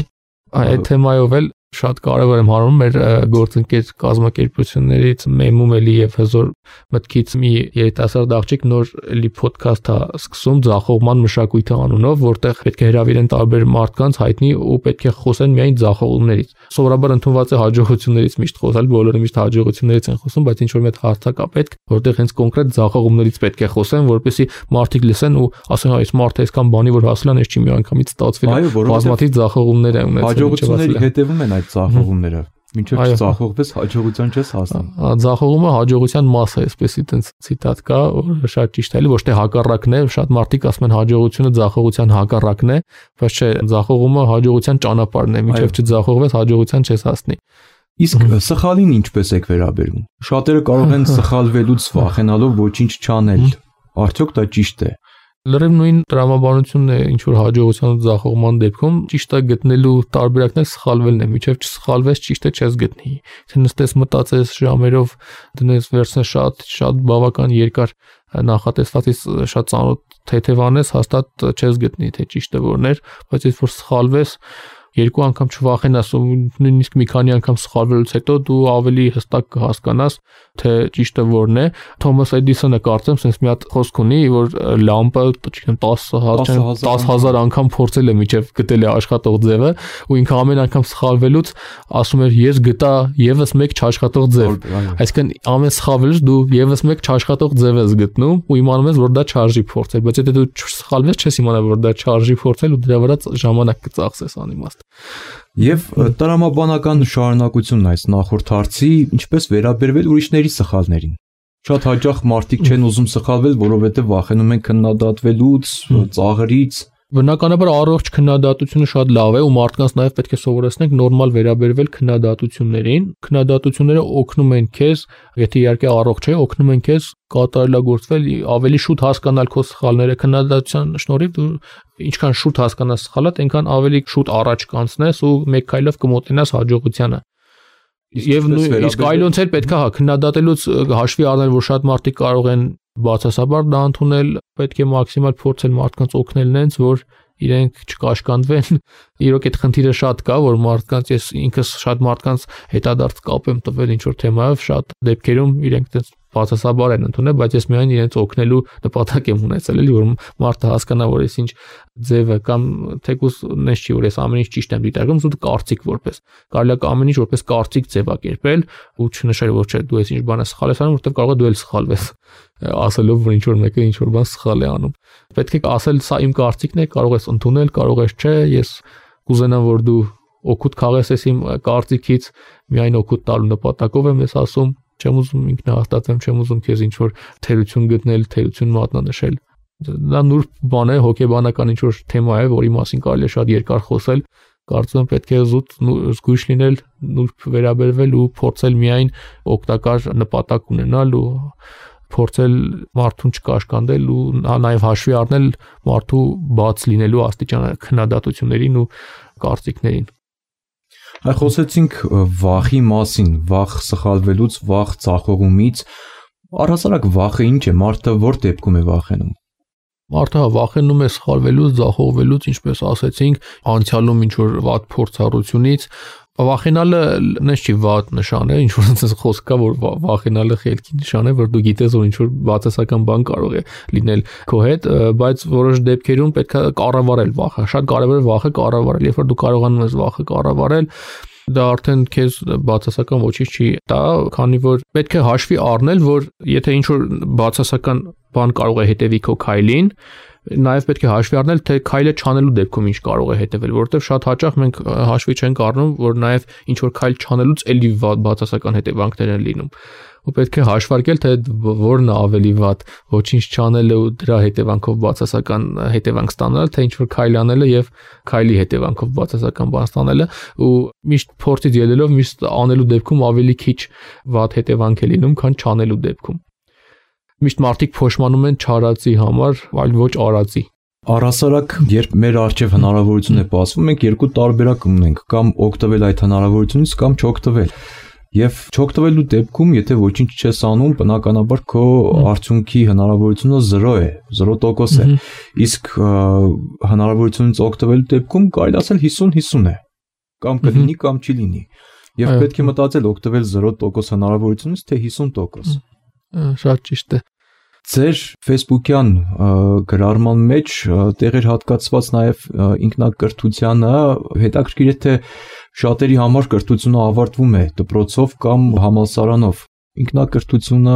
Այդ թեմայով էլ շատ կարևոր եմ հարում մեր գործընկեր կազմակերպություններից Մեմում էլի եւ հզոր մտքից մի երիտասարդ աղջիկ նոր էլի ոդքասթ է սկսում ձախողման մշակույթի անունով, որտեղ պետք է հրավիրեն տարբեր մարդկանց հայտնի ու պետք է խոսեն միայն ձախողումներից։ Սովորաբար ընդունված է հաջողություններից միշտ խոսալ, բոլորը միշտ հաջողություններից են խոսում, բայց ինչ որ մի հարցակ է պետք, որտեղ հենց կոնկրետ ձախողումներից պետք է խոսեն, որպեսզի մարդիկ լսեն ու ասեն, այս մարդը այսքան բանի որ հասել է, այս չի մի անգամից ստացվել է, բազմաթիվ ձախողումներ է ունեցել։ Հետևում են այդ ծախողումները, մինչև չծախողվես հաջողության չես հասնի։ Ձախողումը հաջողության մաս է, այսպես այդպես ցիտատ կա, որ շատ ճիշտ է, ոչ թե հակառակն է, շատ մարդիկ ասում են հաջողությունը ձախողության հակառակն է, բայց չէ, ձախողումը հաջողության ճանապարհն է, մինչև չձախողվես հաջողության չես հասնի։ Իսկ սխալին ինչպես եք վերաբերվում։ Շատերը կարող են սխալվելուց վախենալով ոչինչ չանել։ Արդյոք դա ճիշտ է։ Լրիվ նույն տրամաբանությունն է ինչ որ հաջողության ու ձախողման դեպքում ճիշտը գտնելու տարբերակն է սխալվելն է, միջև չսխալվես ճիշտը չես գտնի։ Եթե նստես մտածես ժամերով դնես վերցնես շատ բավական երկար նախատեսվածից շատ ծանոթ թեթևանես, հաստատ չես գտնի թե ճիշտը որն էր, բայց եթե որ սխալվես երկու անգամ չվախենաս ու նույնիսկ մի քանի անգամ սխալվելուց հետո դու ավելի հստակ կհասկանաս թե ճիշտը որն է։ Թոմաս Էդիսոնը կարծեմ sense մի հատ խոսք ունի, որ լամպը, չգիտեմ, 10,000 անգամ փորձել է միջև գտել է աշխատող ձևը ու ինքը ամեն անգամ սխալվելուց ասում էր ես գտա եւս մեկ չաշխատող ձև։ Այսինքն ամեն սխալվելուց դու եւս մեկ չաշխատող ձև ես գտնում ու իմանում ես որ դա չարժի փորձել, բայց եթե դու չսխալվես չես իմանա որ դա չարժի փորձել ու դրա վրա ժամանակ կծախսես անիմաստ։ Եվ տրամաբանական շարունակությունն այս նախորդ հարցի ինչպես վերաբերվել ուրիշների սխալներին։ Շատ հաճախ մարդիկ չեն ուզում սխալվել, որովհետև վախենում են քննադատվելուց, ծաղրից։ Բնականաբար առողջ քննադատությունը շատ լավ է ու մարդկանց նաև պետք է սովորեցնենք նորմալ վերաբերվել քննադատություններին։ Քննադատությունները օգնում են քեզ, եթե իհարկե առողջ է, օգնում են քեզ կատարելագործվել, ավելի շուտ հասկանալ քո սխալները։ Քննադատության շնորհիվ դու ինչքան շուտ հասկանաս սխալդ, այնքան ավելի շուտ առաջ կանցնես ու մեկ քայլով կմոտենաս հաջողությանը։ Եվ իսկ այլոնց էլ պետք է քննադատելուց հաշվի առնել, որ շատ մարդիկ կարող են բացասաբար դա ընդունել, պետք է մաքսիմալ փորձել մարդկանց օգնել նենց, որ իրենք չկաշկանդվեն։ Իրոք այդ խնդիրը շատ կա, որ մարդկանց ես ինքս շատ մարդկանց հետադարձ կապ եմ տվել ինչ որ թեմայով, շատ դեպքերում իրենք դες բացասաբար են ընդունել, բայց ես միայն իրենց օգնելու նպատակ եմ ունեցել, էլի որ մարդը հասկանա, որ ես ինչ ձևը կամ թեկուզ նես չի, որ ես ամեն ինչ ճիշտ եմ դիտարկում, ու կարծիք որպես։ Կարելի է ամեն ինչ որպես կարծիք ձևակերպել ու չնշել, որ չէ, դու ես ինչ բան ես սխալ ես անում, որովհետև կարող է դու էլ սխալվես, ասելով, որ ինչ որ մեկը ինչ որ բան սխալ է անում։ Պետք է ասել, սա իմ կարծիքն է, կարող ես ընդունել, կարող ես չէ, ես կուզենամ, որ դու օգուտ քաղես ես իմ կարծիքից, միայն օգուտ տալու նպատակով եմ ես ասում, չեմ ուզում ինքնահաստատեմ, չեմ ուզում քեզ ինչ որ թերություն գտնել, թերություն մատնանշել։ Դա նուրբ բան է, հոգեբանական ինչ որ թեմա է, որի մասին կարելի է շատ երկար խոսել։ Կարծում եմ պետք է զուտ զգույշ լինել, նուրբ վերաբերվել ու փորձել միայն օգտակար նպատակ ունենալ ու փորձել մարդուն չկաշկանդել ու նաև հաշվի առնել մարդու բաց լինելու աստիճանը քննադատություններին ու կարծիքներին։ Այ խոսեցինք վախի մասին, վախ սխալվելուց, վախ ծախողումից։ Առհասարակ վախը ինչ է, մարդը որ դեպքում է վախենում։ Մարդը վախենում է սխալվելուց, ձախողվելուց, ինչպես ասեցինք, անցյալում ինչ որ վատ փորձառությունից։ Վախենալը նես չի վատ նշան է, ինչ որ այնպես խոսք կա, որ վախենալը խելքի նշան է, որ դու գիտես, որ ինչ որ բացասական բան կարող է լինել քո հետ, բայց որոշ դեպքերում պետք է կառավարել վախը։ Շատ կարևոր է վախը կառավարել, երբ որ դու կարողանում ես վախը կառավարել, դա արդեն քեզ բացասական ոչինչ չի տա, քանի որ պետք է հաշվի առնել, որ եթե ինչ որ բացասական բան կարող է հետևի քո քայլին, նաև պետք է հաշվի առնել, թե քայլը չանելու դեպքում ինչ կարող է հետևել, որովհետև շատ հաճախ մենք հաշվի չենք առնում, որ նաև ինչ որ քայլ չանելուց էլի բացասական հետևանքներ են լինում։ Ու պետք է հաշվարկել, թե որն է ավելի վատ, ոչինչ չանելը ու դրա հետևանքով բացասական հետևանք ստանալը, թե ինչ որ քայլ անելը եւ քայլի հետևանքով բացասական բան ստանալը, ու միշտ փորձից ելնելով միշտ անելու դեպքում ավելի քիչ վատ հետևանք է լինում, քան չանելու դեպքում։ Միշտ մարդիկ փոշմանում են չարածի համար, այլ ոչ արածի։ Առհասարակ, երբ մեր առջև հնարավորություն է բացվում, մենք երկու տարբերակ ունենք, կամ օգտվել այդ հնարավորությունից, կամ չօգտվել։ Եվ չօգտվելու դեպքում, եթե ոչինչ չես անում, բնականաբար քո արդյունքի հնարավորությունը 0 է, 0% է։ Իսկ հնարավորությունից օգտվելու դեպքում կարելի ասել 50-50 է։ Կամ կլինի, կամ չի լինի։ Եվ պետք է մտածել օգտվել 0% հնարավորությունից, թե 50%։ Շատ ճիշտ է։ Ձեր Facebook-յան գրառման մեջ տեղ էր հատկացված նաև ինքնակրթությանը, հետաքրքիր է թե շատերի համար կրթությունը ավարտվում է դպրոցով կամ համալսարանով։ Ինքնակրթությունը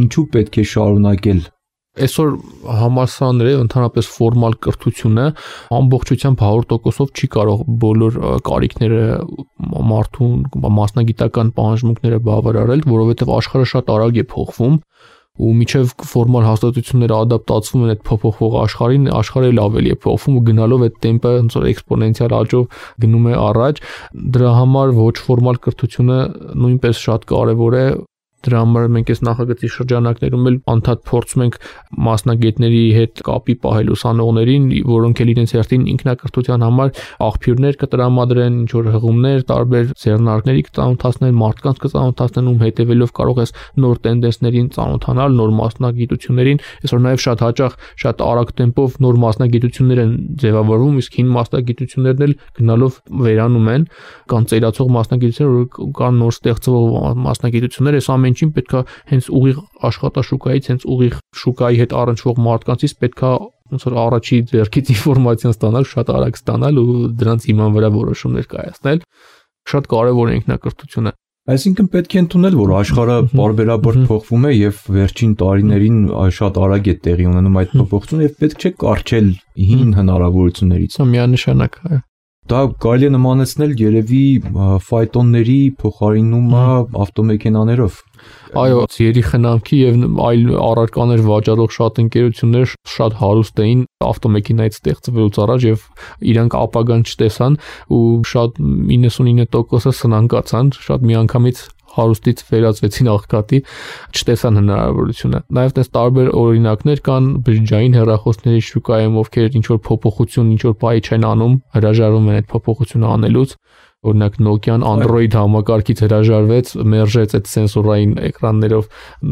ինչու պետք է շարունակել։ Այսօր համալսարանները, ընդհանրապես ֆորմալ կրթությունը ամբողջությամբ 100%-ով չի կարող բոլոր կարիքները մարդուն մասնագիտական պահանջմունքները բավարարել, որովհետև աշխարհը շատ արագ է փոխվում ու միջև ֆորմալ հաստատությունները ադապտացվում են այդ փոփոխվող աշխարհին, աշխարհը էլ ավելի է փոխվում ու գնալով այդ տեմպը ոնց որ էքսպոնենցիալ աճով գնում է առաջ։ Դրա համար ոչ ֆորմալ կրթությունը նույնպես շատ կարևոր է։ Դրա համար մենք այս նախագծի շրջանակներում էլ անդադ փորձում ենք մասնագետների հետ կապի պահել ուսանողներին, որոնք էլ իրենց հերթին ինքնակրթության համար աղբյուրներ կտրամադրեն, ինչ որ հղումներ, տարբեր ձեռնարկների կծանոթացնեն, մարդկանց կծանոթացնեն, ում հետևելով կարող ես նոր տենդենսներին ծանոթանալ, նոր մասնագիտություններին։ Այսօր նաև շատ հաճախ շատ արագ տեմպով նոր մասնագիտություններ են ձևավորվում, իսկ հին մասնագիտություններն էլ գնալով վերանում են, կան ծերացող մասնագիտություններ, կան նոր ստեղծվող մասնագիտություններ, այս ամեն ինչին պետքա հենց ուղիղ աշխատաշուկայից, հենց ուղիղ շուկայի հետ առնչվող մարդկանցից պետքա ոնց որ առաջի ձեռքից ինֆորմացիան ստանալ, շատ արագ ստանալ ու դրանց հիման վրա որոշումներ կայացնել։ Շատ կարևոր է ինքնակրթությունը։ Այսինքն պետք է ընդունել, որ աշխարհը պարբերաբար փոխվում է եւ վերջին տարիներին շատ արագ է տեղի ունենում այդ փոփոխությունը եւ պետք չէ կարճել հին հնարավորություններից։ Միանշանակ, այո։ Դա կարելի է նմանեցնել երևի ֆայտոնների փոխարինումը ավտոմեքենաներով։ Այո, ձիերի խնամքի եւ այլ առարկաներ վաճառող շատ ընկերություններ շատ հարուստ էին ավտոմեքենայից ստեղծվելուց առաջ եւ իրանք ապագան չտեսան ու շատ 99%-ը սնանկացան, շատ միանգամից հարուստից վերածվեցին աղքատի, չտեսան հնարավորությունը։ Նաև դες տարբեր օրինակներ կան բջջային հեռախոսների շուկայում, ովքեր ինչ որ փոփոխություն, ինչ որ բայ չեն անում, հրաժարվում են այդ փոփոխությունը անելուց, օրինակ Nokia-ն Android համակարգից հրաժարվեց, մերժեց այդ սենսորային էկրաններով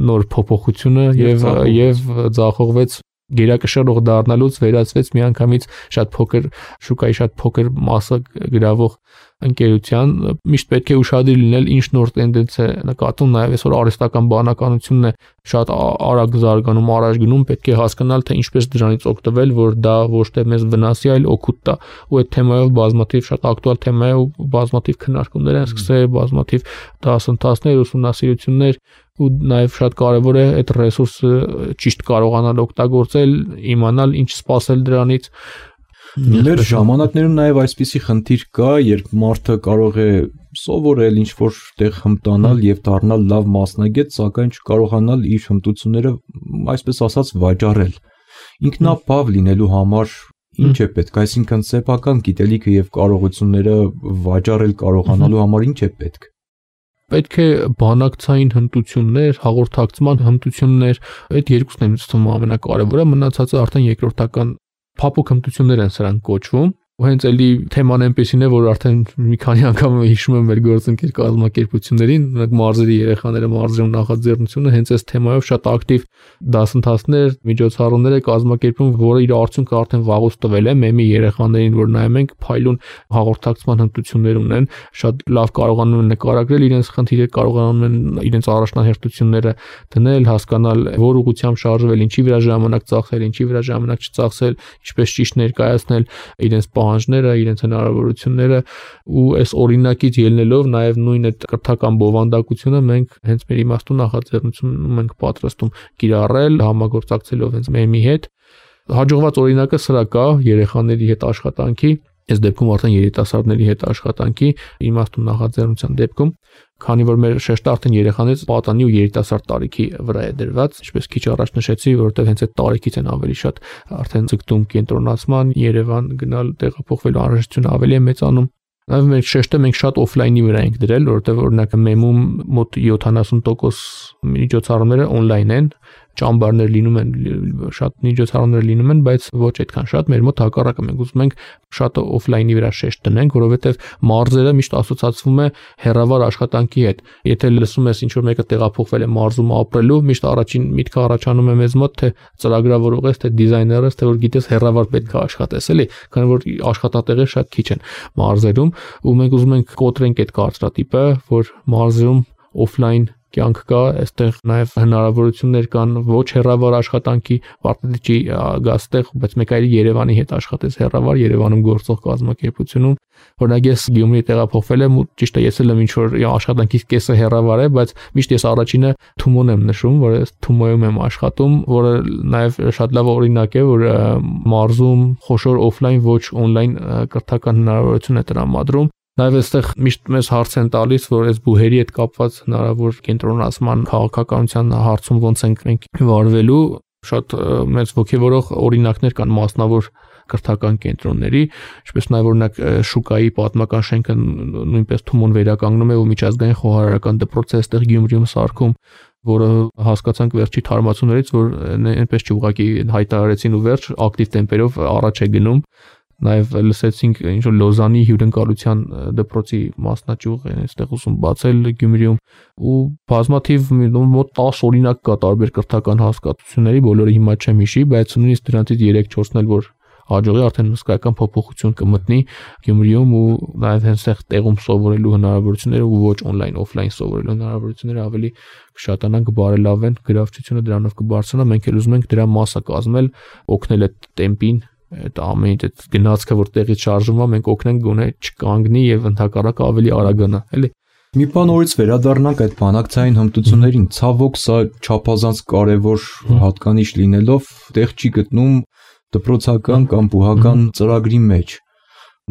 նոր փոփոխությունը եւ ձախողվեց գերակշռող դառնալուց վերածվեց միանգամից շատ փոքր շուկայի շատ փոքր մասը գրավող ընկերության միշտ պետք է ուշադիր լինել ինչ նոր տենդենս է նկատում նաև այսօր արհեստական բանականությունն է շատ արագ զարգանում առաջ գնում պետք է հասկանալ թե ինչպես դրանից օգտվել որ դա ոչ թե մեզ վնասի այլ օգուտ տա ու այդ թեմայով բազմաթիվ շատ ակտուալ թեմա է ու բազմաթիվ քննարկումներ են սկսել բազմաթիվ դասընթացներ ուսումնասիրություններ ու նաև շատ կարևոր է այդ ռեսուրսը ճիշտ կարողանալ օգտագործել իմանալ ինչ սպասել դրանից Մեր ժամանակներում նաև այսպիսի խնդիր կա, երբ մարդը կարող է սովորել ինչ-որ տեղ հմտանալ եւ դառնալ լավ մասնագետ, սակայն չկարողանալ իր հմտությունները, այսպես ասած, վաճառել։ Ինքնաբավ լինելու համար ինչ է պետք, այսինքն սեփական գիտելիքը եւ կարողությունները վաճառել կարողանալու համար ինչ է պետք։ Պետք է բանակցային հմտություններ, հաղորդակցման հմտություններ, այդ երկուսն են ինձ թվում ամենակարևորը, մնացածը արդեն երկրորդական փափուկ հմտություններ են սրանք կոչվում ու հենց էլի թեման այնպեսին է որ արդեն մի քանի անգամ հիշում եմ մեր գործընկեր կազմակերպություններին նրանք մարզերի երեխաները մարզերում նախաձեռնությունը հենց այս թեմայով շատ ակտիվ դասընթացներ միջոցառումներ է կազմակերպում որը իր արդյունքը արդեն վաղուց տվել է մեմի երեխաներին որ նայում ենք փայլուն հաղորդակցման հմտություններ ունեն շատ լավ կարողանում են նկարագրել իրենց խնդիրը կարողանում են իրենց առաջնահերթությունները դնել հասկանալ որ ուղղությամբ շարժվել ինչի վրա ժամանակ ծախսել ինչի վրա ժամանակ չծախսել ինչպես ճիշտ ներկայացնել իրենց պահանջները, իրենց հնարավորությունները ու այս օրինակից ելնելով նաև նույն այդ կրթական բովանդակությունը մենք հենց մեր իմաստուն նախաձեռնությունում ենք պատրաստում կիրառել համագործակցելով հենց մեմի հետ հաջողված օրինակը սրա կա երեխաների հետ աշխատանքի այս դեպքում արդեն երիտասարդների հետ աշխատանքի իմաստուն նախաձեռնության դեպքում քանի որ մեր շեշտը արդեն երեխաներից պատանի ու երիտասարդ տարիքի վրա է դրված ինչպես քիչ առաջ նշեցի որովհետև հենց այդ տարիքից են ավելի շատ արդեն ցկտում կենտրոնացման Երևան գնալ տեղափոխվելու անհրաժեշտությունը ավելի է մեծանում Նաև մեր շեշտը մենք շատ օֆլայնի վրա ենք դրել, որովհետև օրինակ մեմում մոտ 70% միջոցառումները օնլայն են, ճամբարներ լինում են, շատ միջոցառումներ լինում են, բայց ոչ այդքան շատ, մեր մոտ հակառակը մենք ուզում ենք շատ օֆլայնի վրա շեշտ դնենք, որովհետև մարզերը միշտ ասոցացվում է հեռավար աշխատանքի հետ։ Եթե լսում ես ինչ որ մեկը տեղափոխվել է մարզում ապրելու, միշտ առաջին միտքը առաջանում է մեզ մոտ, թե ծրագրավորող ես, թե դիզայներ ես, թե որ գիտես հեռավար պետք է աշխատես, էլի, քանի որ աշխատատեղեր շատ քիչ են մարզերում, ու մենք ուզում ենք կոտրենք այդ կարծրատիպը, որ մարզերում օֆլայն կյանք կա, այստեղ նաև հնարավորություններ կան ոչ հեռավար աշխատանքի, պարտադիր գաստեղ, բայց մեկ այլ Երևանի հետ աշխատես հեռավար, Երևանում գործող կազմակերպությունում, օրինակ ես Գյումրի տեղափոխվել եմ, ու ճիշտ է, ես էլ ինչ որ աշխատանքից կեսը հեռավար է, բայց միշտ ես առաջինը Թումոն եմ նշում, որ ես Թումոյում եմ աշխատում, որը նաև շատ լավ օրինակ է, որ մարզում խոշոր օֆլայն ոչ օնլայն կրթական հնարավորություն է տրամադրում Նաև այստեղ միշտ մեզ հարց են տալիս, որ այս բուհերի հետ կապված հնարավոր կենտրոնացման քաղաքականության հարցում ոնց ենք մենք վարվելու, շատ մեծ ոգևորող օրինակներ կան մասնավոր կրթական կենտրոնների, ինչպես նաև օրինակ շուկայի պատմական շենքը նույնպես Թումոն վերականգնում է ու միջազգային խոհարարական դպրոց է այստեղ Գյումրիում սարքում, որը հասկացանք վերջի թարմացումներից, որ այնպես չուղղակի հայտարարեցին ու վերջ ակտիվ տեմպերով առաջ է գնում Նաև լսեցինք ինչ որ Լոզանի հյուրընկալության դպրոցի մասնաճյուղ են այստեղ ուսում բացել Գյումրիում ու բազմաթիվ մոտ 10 օրինակ կա տարբեր կրթական հասկացությունների, բոլորը հիմա չեմ հիշի, բայց նույնիսկ դրանցից 3-4-ն էլ որ հաջողի արդեն հսկայական փոփոխություն կմտնի Գյումրիում ու նաև հենց տեղում սովորելու հնարավորությունները ու ոչ օնլայն օֆլայն սովորելու հնարավորությունները ավելի կշատանան, կբարելավեն, գրավչությունը դրանով կբարձրանա, մենք էլ ուզում ենք դրա մասը կազմել, օգնել այդ տեմպին այդ ամեն այդ գնացքը որ տեղից շարժվում է մենք օգնենք գոնե չկանգնի եւ ընդհակառակը ավելի արագանա էլի Մի բան օրից վերադառնանք այդ բանակցային հմտություններին ցավոք սա չափազանց կարևոր հատկանիշ լինելով տեղ չի գտնում դպրոցական կամ բուհական ծրագրի մեջ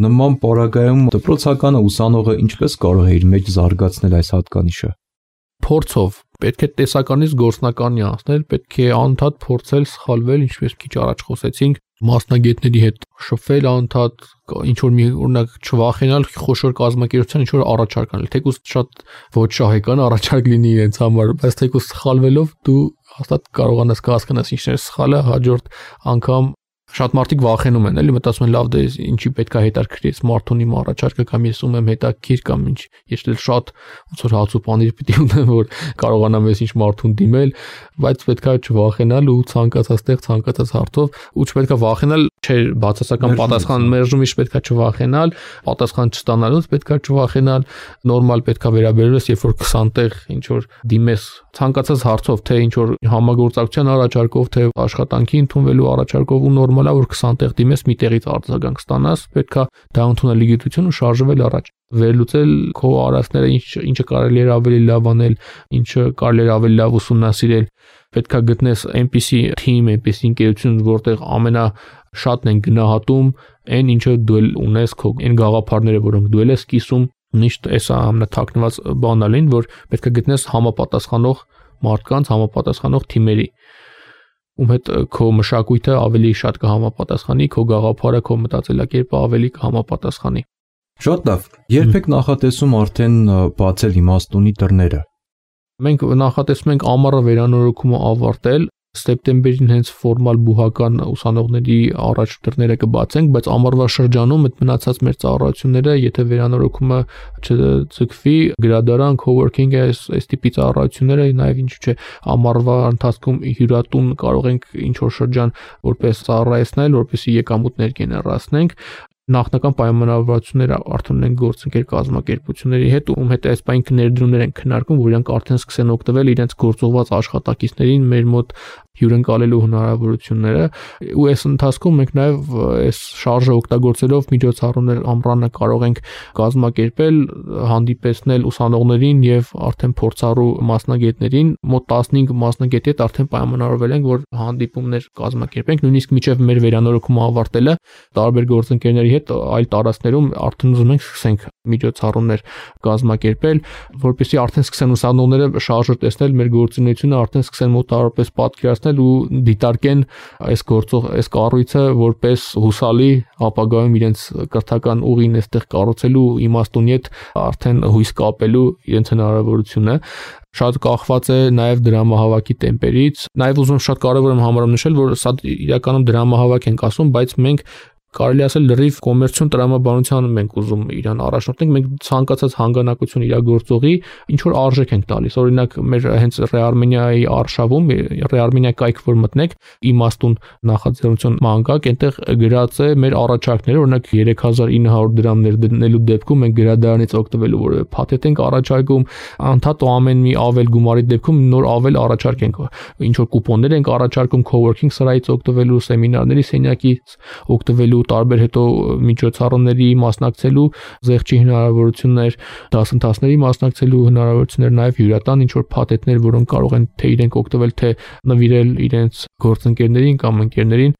նման պարագայում դպրոցականը ուսանողը ինչպես կարող է իր մեջ զարգացնել այս հատկանիշը Փորձով պետք է տեսականից գործնականի անցնել, պետք է անդադ փորձել սխալվել, ինչպես քիչ առաջ խոսեցինք, մասնագետների հետ շփվել անդադ, ինչ որ մի օրինակ չվախենալ խոշոր կազմակերպության ինչ որ առաջարկ անել, թեկուզ շատ ոչ շահեկան առաջարկ լինի իրենց համար, բայց թեկուզ սխալվելով դու հաստատ կարողանաս հասկանաս ինչն է սխալը, հաջորդ անգամ Շատ մարդիկ վախենում են, էլի մտածում են լավ դե ինչի պետք է հետաքրքրի սմարթֆոնի առաջարկը կամ ես ում եմ հետաքրքիր կամ ինչ ես էլ շատ ոնց որ հաց ու պանիր պիտի ունեմ որ կարողանամ ես ինչ մարդուն դիմել, բայց պետք է չվախենալ ու ցանկացած տեղ ցանկացած հարցով ու չպետք է վախենալ, չէ, բացասական պատասխան մերժումից պետք է չվախենալ, պատասխան չստանալուց պետք է չվախենալ, նորմալ պետք է վերաբերվես, երբ որ 20 տեղ ինչ որ դիմես ցանկացած հարցով, թե ինչ որ համագործակցության առաջարկով, թե աշխատանքի ընդունվելու առաջարկով ու նորմալ որ 20 տեղ դիմես մի տեղից արձագանք ստանաս, պետք է դա ընդունել լիգիտություն ու շարժվել առաջ, վերլուծել քո արածները, ինչը կարելի է ավելի լավ անել, ինչը կարելի է ավելի լավ ուսումնասիրել, պետք է գտնես այնպիսի թիմ, այնպիսի ընկերություն, որտեղ ամենաշատն են գնահատում այն ինչը դու ունես, քո այն գաղափարները, որոնք դու ես կիսում, միշտ էսա ամենաթաքնված բանալին, որ պետք է գտնես համապատասխանող մարդկանց, համապատասխանող թիմերի ում հետ քո մշակույթը ավելի շատ կհամապատասխանի, քո գաղափարը, քո մտածելակերպը ավելի կհամապատասխանի։ Շատ լավ։ Երբեք նախատեսում արդեն բացել իմաստունի դռները։ Մենք նախատեսում ենք ամառը վերանորոգումը ավարտել, սեպտեմբերին հենց ֆորմալ բուհական ուսանողների առաջ դռները կբացենք, բայց ամառվա շրջանում այդ մնացած մեր ծառայությունները, եթե վերանորոգումը չձգվի, գրադարան, coworking այս տիպի ծառայությունները, նաև ինչու՞ չէ, ամառվա ընթացքում հյուրատուն կարող ենք ինչ որ շրջան որպես ծառայեցնել, որպեսզի եկամուտներ գեներացնենք։ Նախնական պայմանավորվածությունները արդեն ունենք գործընկեր կազմակերպությունների հետ, ում հետ այս պայն ներդրումներ են քննարկում, որ իրանք արդեն սկսեն օգտվել իրենց գործողված աշխատակիցներին մեր մոտ հյուրընկալելու հնարավորությունները ու այս ընթացքում մենք նաև այս շարժը օգտագործելով միջոցառումներ ամռանը կարող ենք կազմակերպել, հանդիպեցնել ուսանողներին եւ արդեն փորձառու մասնագետներին, մոտ 15 մասնագետի հետ արդեն պայմանավորվել ենք, որ հանդիպումներ կազմակերպենք, նույնիսկ մինչեւ մեր վերանորոգումը ավարտելը տարբեր գործընկերների հետ այլ տարածքներում արդեն ուզում ենք սկսենք միջոցառումներ կազմակերպել, որպեսզի արդեն սկսեն ուսանողները շարժը տեսնել մեր գործունեությունը, արդեն սկսեն մոտավորապես պատկերացնել ու դիտարկեն այս կառույցը որպես հուսալի ապագայում իրենց կրթական ուղին այստեղ կառուցելու իմաստունի հետ արդեն հույս կապելու իրենց հնարավորությունը շատ կախված է նաև դրամահավաքի տեմպերից, նաև ուզում շատ կարևոր եմ համարում նշել, որ սա իրականում դրամահավաք ենք ասում, բայց մենք կարելի ասել լրիվ կոմերցիոն տրամաբանության մենք ուզում իրան առաջնորդենք, մենք ցանկացած հանգանակություն իրագործողի ինչ որ արժեք ենք տալիս։ Օրինակ մեր հենց Ռեարմենիայի արշավում, Ռեարմենիա կայք որ մտնեք, իմաստուն նախաձեռնություն մանկակ, այնտեղ գրած է մեր առաջարկները, օրինակ 3900 դրամներ դնելու դեպքում մենք գրադարանից օգտվելու որևէ փաթեթ ենք առաջարկում, անդադ ու ամեն մի ավել գումարի դեպքում նոր ավել առաջարկ ենք, ինչ որ կուպոններ ենք առաջարկում coworking սրահից օգտվելու, սեմինարների սենյակից օգտվելու տարբեր հետո միջոցառումների մասնակցելու զեղչի հնարավորություններ, դասընթացների մասնակցելու հնարավորություններ, նաև հյուրատան ինչ որ փաթեթներ, որոնք կարող են թե իրենք օգտվել, թե նվիրել իրենց գործընկերներին կամ ընկերներին։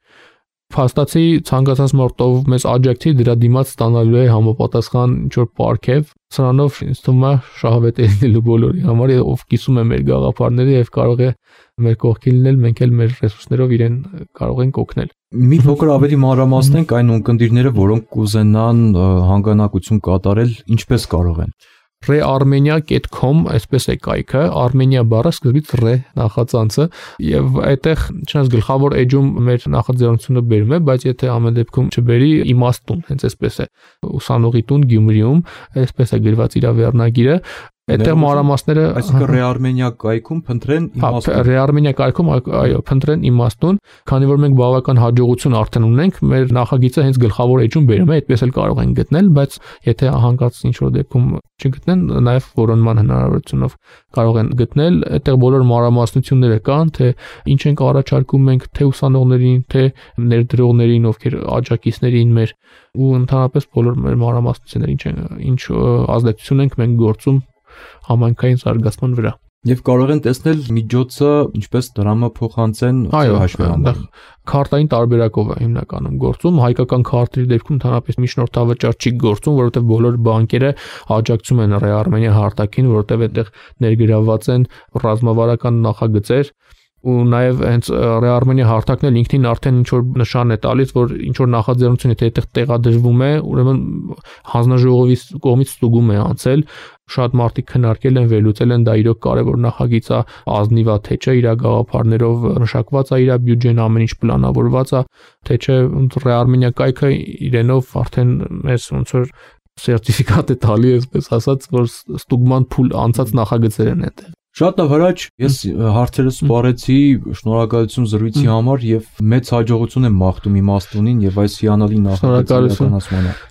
Փաստացի ցանկացած մարտով մեզ աջակցի դրա դիմաց ստանալու է համապատասխան ինչ որ պարգև, սրանով ինձ թվում է շահավետ է լինելու բոլորի համար, ով կիսում է մեր գաղափարները եւ կարող է մեր կողքին լինել, մենք էլ մեր ռեսուրսներով իրեն կարող ենք օգնել։ Մի փոքր ավելի մանրամասնենք այն ունկնդիրները, որոնք կուզենան հանգանակություն կատարել, ինչպես կարող են։ rearmenia.com այսպես է կայքը, Armenia բառը սկզբից re նախածանցը եւ այդտեղ չնայած գլխավոր էջում մեր նախաձեռնությունը բերում է, բայց եթե ամեն դեպքում չբերի իմաստուն, հենց այսպես է ուսանողի տուն Գյումրիում, այսպես է գրված իր վերնագիրը, այդտեղ մանրամասները, այսինքն Rearmenia կայքում փնտրեն իմաստուն։ Rearmenia կայքում այո, փնտրեն իմաստուն, քանի որ մենք բավական հաջողություն արդեն ունենք, մեր նախագիծը հենց գլխավոր էջում բերում է, այդպես էլ կարող են գտնել, բայց եթե հանկարծ ինչ որ դեպքում չգտնեն, նաև որոնման հնարավորությունով կարող են գտնել, այդտեղ բոլոր մանրամասնությունները կան, թե ինչ ենք առաջարկում մենք, թե ուսանողներին, թե ներդրողներին, ովքեր աջակիցներին մեր ու ընդհանրապես բոլոր մեր մանրամասնությունները ինչ ազդեցություն ենք մենք գործում համայնքային զարգացման վրա։ Եվ կարող են տեսնել միջոցը ինչպես դրամը փոխանցեն հաշվի համար։ Քարտային տարբերակով է հիմնականում գործում, հայկական քարտերի դեպքում ընդհանրապես միջնորդավճար չի գործում, որովհետև բոլոր բանկերը աջակցում են Rearmenia հարթակին, որովհետև այդտեղ ներգրավված են ռազմավարական նախագծեր ու նաև հենց Rearmenia հարթակն էլ ինքնին արդեն ինչ որ նշան է տալիս, որ ինչ որ նախաձեռնություն եթե այդտեղ տեղադրվում է, ուրեմն հանձնաժողովի կողմից ստուգում է անցել, շատ մարդիկ քննարկել են, վերլուծել են դա իրոք կարևոր նախագիծ է, ազնիվ է, թե չէ, իր գաղափարներով մշակված է, իր բյուջեն ամեն ինչ պլանավորված է, թե չէ, Ռեարմենիա կայքը իրենով արդեն մեզ ոնց որ սերտիֆիկատ է տալի, այսպես ասած, որ ստուգման փուլ անցած նախագծեր են այդտեղ։ Շատ լավ, Հրաչ, ես հարցերս սպառեցի, շնորհակալություն զրույցի համար եւ մեծ հաջողություն եմ մաղթում իմաստունին եւ այս հիանալի նախագծի։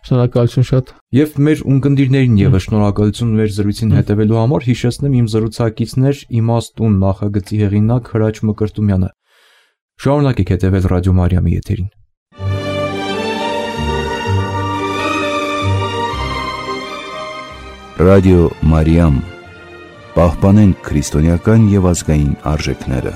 Շնորհակալություն շատ։ Եվ մեր ունկնդիրներին եւս շնորհակալություն մեր զրույցին հետևելու համար, հիշեցնեմ իմ զրուցակիցներ իմաստուն նախագծի հեղինակ Հրաչ Մկրտումյանը։ Շարունակեք հետևել Ռադիո Մարիամի եթերին։ Ռադիո Մարիամ, պահպանենք քրիստոնեական եւ ազգային արժեքները։